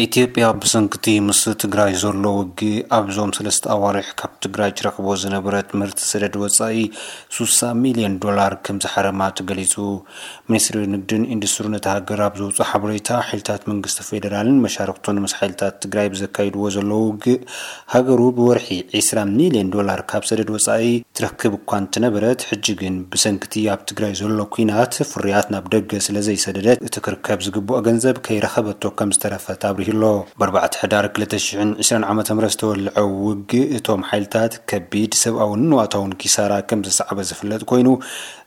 ኢትዮጵያ ብሰንክቲ ምስ ትግራይ ዘሎ ውግእ ኣብዞም ሰለስተ ኣዋርሕ ካብ ትግራይ ትረኽቦ ዝነበረት ምህርቲ ሰደድ ወጻኢ ሱሳ ሚልዮን ዶላር ከም ዝሓረማ ተገሊጹ። ሚኒስትሪ ንግድን ኢንዱስትሪን እታ ሃገር ኣብ ዘውፅኦ ሓበሬታ፣ ሓይልታት መንግስቲ ፌዴራልን መሻርክቱን ምስ ሓይልታት ትግራይ ብዘካይድዎ ዘለዉ ውግእ ሃገሩ ብወርሒ ዒስራ ሚልዮን ዶላር ካብ ሰደድ ወጻኢ ትረክብ እኳ እንተነበረት፣ ሕጂ ግን ብሰንክቲ ኣብ ትግራይ ዘሎ ኲናት ፍርያት ናብ ደገ ስለ ዘይሰደደት፣ እቲ ክርከብ ዝግብኦ ገንዘብ ከይረኸበቶ ከም ዝተረፈት ኣብሪሁ ኣሎ። ብኣርባዕተ ሕዳር ክልተ ሽሕን ዕስራን ዓመተ ምህረት ዝተወልዐ ውግእ እቶም ሓይልታት ከቢድ ሰብኣውን ንዋታውን ኪሳራ ከም ዘስዓበ ዝፍለጥ ኮይኑ፣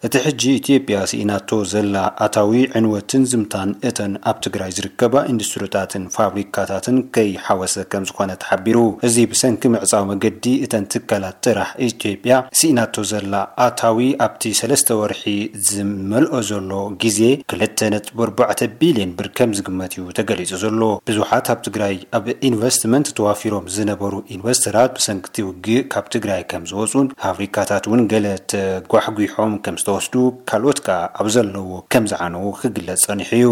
እቲ ሕጂ ኢትዮጵያ ስኢናቶ ዘላ ኣታዊ ዕንወትን ዝምታን እተን ኣብ ትግራይ ዝርከባ ኢንዱስትሪታትን ፋብሪካታትን ከይሓወሰ ከም ዝኾነ ተሓቢሩ። እዚ ብሰንኪ ምዕጻው መገዲ እተን ትካላት ጥራሕ ኢትዮጵያ ስኢናቶ ዘላ ኣታዊ ኣብቲ ሰለስተ ወርሒ ዝመልኦ ዘሎ ግዜ ክልተ ነጥቢ ኣርባዕተ ቢልዮን ብር ከም ዝግመት እዩ ተገሊጹ ዘሎ። ብዙሓት ኣብ ትግራይ ኣብ ኢንቨስትመንት ተዋፊሮም ዝነበሩ ኢንቨስተራት ብሰንኪ እቲ ውግእ ካብ ትግራይ ከም ዝወፁን ፋብሪካታት እውን ገለ ተጓሕጒሖም ከም ዝተወስዱ፣ ካልኦት ከኣ ኣብ ዘለዎ ከም ዝዓነዉ ክግለጽ ጸኒሑ እዩ።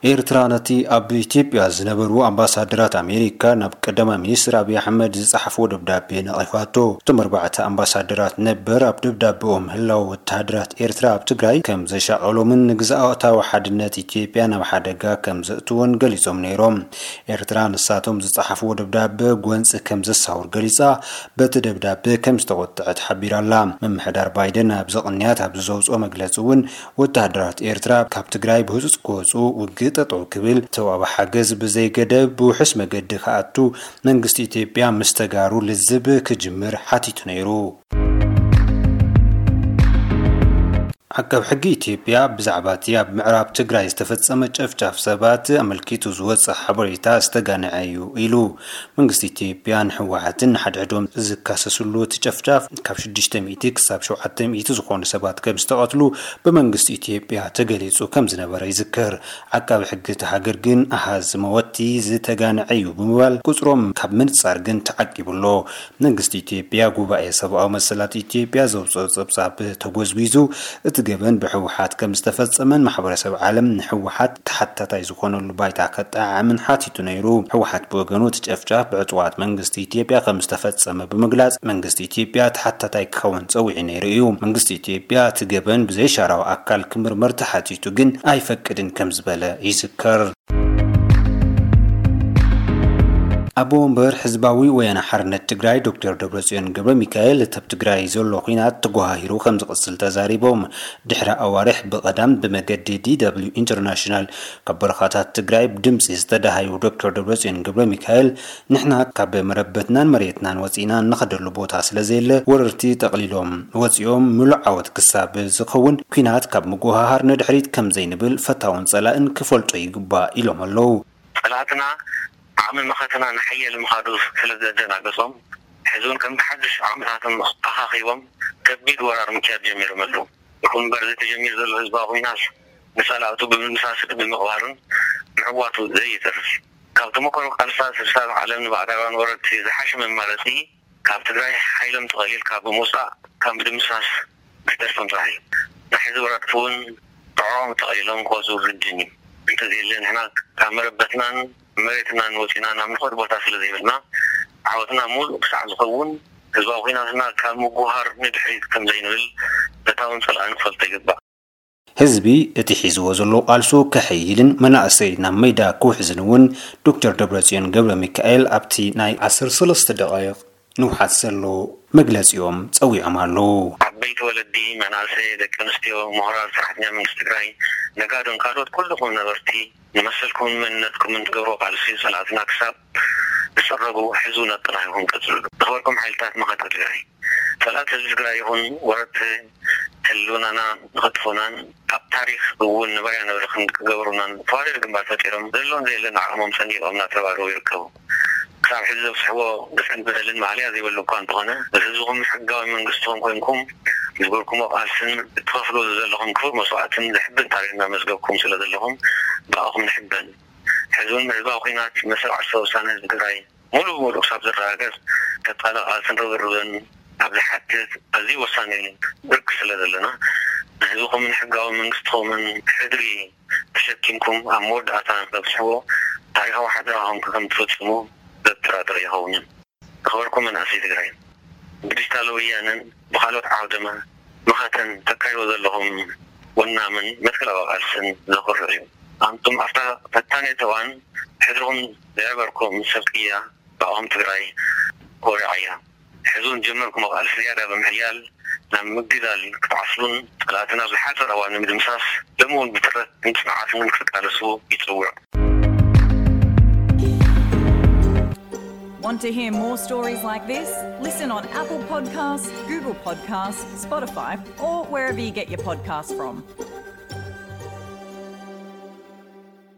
ኤርትራ ነቲ ኣብ ኢትዮጵያ ዝነበሩ ኣምባሳደራት ኣሜሪካ ናብ ቀዳማይ ሚኒስትር ኣብይ ኣሕመድ ዝጸሓፍዎ ደብዳቤ ነቒፋቶ። እቶም ኣርባዕተ ኣምባሳደራት ነበር ኣብ ደብዳቤኦም ህላወ ወተሃደራት ኤርትራ ኣብ ትግራይ ከም ዘሻቐሎምን ንግዝኣታዊ ሓድነት ኢትዮጵያ ናብ ሓደጋ ከም ዘእትዎን ገሊጾም ነይሮም። ኤርትራ ንሳቶም ዝጸሓፍዎ ደብዳቤ ጎንጺ ከም ዘሳውር ገሊጻ፣ በቲ ደብዳቤ ከም ዝተቖጥዐት ሓቢራ ኣላ። ምምሕዳር ባይደን ኣብዚ ቅንያት ኣብ ዘውጽኦ መግለጺ እውን፣ ወተሃደራት ኤርትራ ካብ ትግራይ ብህጹጽ ክወጹ፣ ውግእ ጠጠው ክብል፣ ተዋቢ ሓገዝ ብዘይገደብ ብውሑስ መገዲ ክኣቱ፣ መንግስቲ ኢትዮጵያ ምስ ተጋሩ ልዝብ ክጅምር ሓቲቱ ነይሩ። ዓቃብ ሕጊ ኢትዮጵያ ብዛዕባ እቲ ኣብ ምዕራብ ትግራይ ዝተፈጸመ ጨፍጫፍ ሰባት ኣመልኪቱ ዝወጸ ሓበሬታ ዝተጋነዐ እዩ ኢሉ። መንግስቲ ኢትዮጵያ ንህወሓትን ንሓድሕዶም ዝካሰስሉ እቲ ጨፍጫፍ ካብ ሽዱሽተ ሚእቲ ክሳብ ሸውዓተ ሚእቲ ዝኾኑ ሰባት ከም ዝተቐትሉ ብመንግስቲ ኢትዮጵያ ተገሊጹ ከም ዝነበረ ይዝከር። ዓቃቢ ሕጊ እቲ ሃገር ግን ኣሃዝ መወቲ ዝተጋነዐ እዩ ብምባል ቁጽሮም ካብ ምንጻር ግን ተዓቂቡ ኣሎ። መንግስቲ ኢትዮጵያ ጉባኤ ሰብኣዊ መሰላት ኢትዮጵያ ዘውፅኦ ጸብጻብ ተጎዝጒዙ እቲ ገበን ብህወሓት ከም ዝተፈጸመን ማሕበረሰብ ዓለም ንህወሓት ተሓታታይ ዝኾነሉ ባይታ ከጠዓዕምን ሓቲቱ ነይሩ። ህወሓት ብወገኑ እቲ ጨፍጫፍ ብዕጡቓት መንግስቲ ኢትዮጵያ ከም ዝተፈጸመ ብምግላጽ መንግስቲ ኢትዮጵያ ተሓታታይ ክኸውን ጸዊዑ ነይሩ እዩ። መንግስቲ ኢትዮጵያ እቲ ገበን ብዘይሻራዊ ኣካል ክምርመር ተሓቲቱ ግን ኣይፈቅድን ከም ዝበለ ይዝከር። ኣቦ ወንበር ህዝባዊ ወያነ ሓርነት ትግራይ ዶክተር ደብረጽዮን ገብረ ሚካኤል፣ እቲ ኣብ ትግራይ ዘሎ ኲናት ተጓሃሂሩ ከም ዝቕጽል ተዛሪቦም። ድሕሪ ኣዋርሕ ብቐዳም ብመገዲ ዲ ደብሊው ኢንተርናሽናል ካብ በረኻታት ትግራይ ብድምጺ ዝተዳሃዩ ዶክተር ደብረጽዮን ገብረ ሚካኤል፣ ንሕና ካብ መረበትናን መሬትናን ወጺእና እንኸደሉ ቦታ ስለ ዘየለ፣ ወረርቲ ጠቕሊሎም ወጺኦም ምሉእ ዓወት ክሳብ ዝኸውን ኲናት ካብ ምጉሃሃር ንድሕሪት ከም ዘይንብል ፈታውን ጸላእን ክፈልጦ ይግባእ ኢሎም ኣለዉ። ጸላእትና ዓቕሚ መኸተና ንሓየል ምኻዱ ስለ ዘደናገጾም፣ ሕዚ እውን ከም ብሓድሽ ዓቕምታቶም ኣኻኺቦም ከቢድ ወራር ምክያድ ጀሚሮም ኣለዉ። ይኹን እምበር፣ እዚ ተጀሚሩ ዘሎ ህዝባዊ ኲናት ንጸላእቱ ብምድምሳስን ብምቕባርን ምዕዋቱ ዘየተርፍ እዩ። ካብ ተመክሮ ቃልስታት ስሳብ ዓለም ንባዕዳውያን ወረርቲ ዝሓሸ መማረጺ፣ ካብ ትግራይ ሓይሎም ተቐሊልካ ብምውጻእ ካብ ምድምሳስ ኣይተርፍን ጥራሕ እዩ። ናይ ሕዚ ወረርቲ እውን ጥዕሮም ተቐሊሎም ክወጹ ግድን እዩ። እንተዘየለ ንሕና ካብ መረበትናን መሬትናን ወጺና ናብ ንኸድ ቦታ ስለ ዘይብልና፣ ዓወትና ሙሉእ ክሳዕ ዝኸውን ህዝባዊ ኲናትና ካብ ምጉሃር ንድሕሪት ከም ዘይንብል ፈታውን ጸላእን ክፈልጦ ይግባእ። ህዝቢ እቲ ሒዝዎ ዘሎ ቃልሱ ከሐይልን መናእሰይ ናብ ሜዳ ክውሕዝን እውን ዶክተር ደብረጽዮን ገብረ ሚካኤል ኣብቲ ናይ ዓሰርተ ሰለስተ ደቓይቕ ንውሓት ዘሎ መግለጺኦም ጸዊዖም ኣለዉ። ዓበይቲ ወለዲ፣ መናእሰይ፣ ደቂ ኣንስትዮ፣ ምሁራት፣ ሰራሕተኛ መንግስቲ ትግራይ፣ ነጋዶን ካልኦት ኩልኹም ነበርቲ ንመሰልኩምን መንነትኩምን ትገብሮ ቃልሲ ጸላእትና ክሳብ ዝጽረጉ ሕዝው ነጥራይኹም ቀጽሉ። ዝኸበርኩም ሓይልታት መኸተ ትግራይ፣ ጸላእቲ ህዝቢ ትግራይ ይኹን ወረርቲ ህልውናና ንኸጥፉናን ኣብ ታሪኽ እውን ንበርያ ንብርኽን ክገበሩናን ተዋደድ ግንባር ፈጢሮም ዘለውን ዘየለን ዓቕሞም ሰኒቖም እናተረባረቡ ይርከቡ። ክሳብ ሕዚ ዘብፅሕዎ ግፍዕን በደልን ማእለያ ዘይብሉ እኳ እንተኾነ፣ ንህዝብኹም ሕጋዊ መንግስትኹም ኮይንኩም ዝገበርኩሞ ቃልስን እትኸፍልዎ ዘለኹም ክቡር መስዋእትን ዘሕብን ታሪኽ እናመዝገብኩም ስለ ዘለኹም ብኣኹም ንሕበን። ሕዚ እውን ህዝባዊ ኲናት መሰል ዓርሰ ውሳነ ህዝቢ ትግራይ ሙሉእ ብሙሉእ ክሳብ ዝረጋገጽ ቀጻሊ ቃልስን ርብርብን ኣብ ዝሓትት ኣዝዩ ወሳኒ ብርኪ ስለ ዘለና፣ ንህዝብኹምን ሕጋዊ መንግስትኹምን ሕድሪ ተሸኪምኩም ኣብ መወዳእታ ንክተብፅሕዎ ታሪኻዊ ሓደራኹም ከም ትፍፅሙ ዘጠራጥር ኣይኸውንን። ዝኸበርኩም መናእሰይ ትግራይ፣ ብዲጂታል ወያነን ብኻልኦት ዓውደ መኸተን ተካይዶ ዘለኹም ወናምን መትከላዊ ቃልስን ዘኹርዕ እዩ። ኣንቱም ኣብታ ፈታኒት እዋን ሕድርኹም ዘዕበርኩም ሰብ ቅያ ብኣኹም ትግራይ ኮሪዓ እያ። ሕዚ እውን ዝጀመርኩሞ ቃልሲ ዝያዳ ብምሕያል ናብ ምግዳል ክትዓስሉን ፀላእትና ኣብ ዝሓፀረ እዋን ንምድምሳስ ሎሚ እውን ብትረት ጽንዓትን ክትቃለሱ ይፅውዕ። Want to hear more stories like this? Listen on Apple Podcasts, Google Podcasts, Spotify, or wherever you get your podcasts from.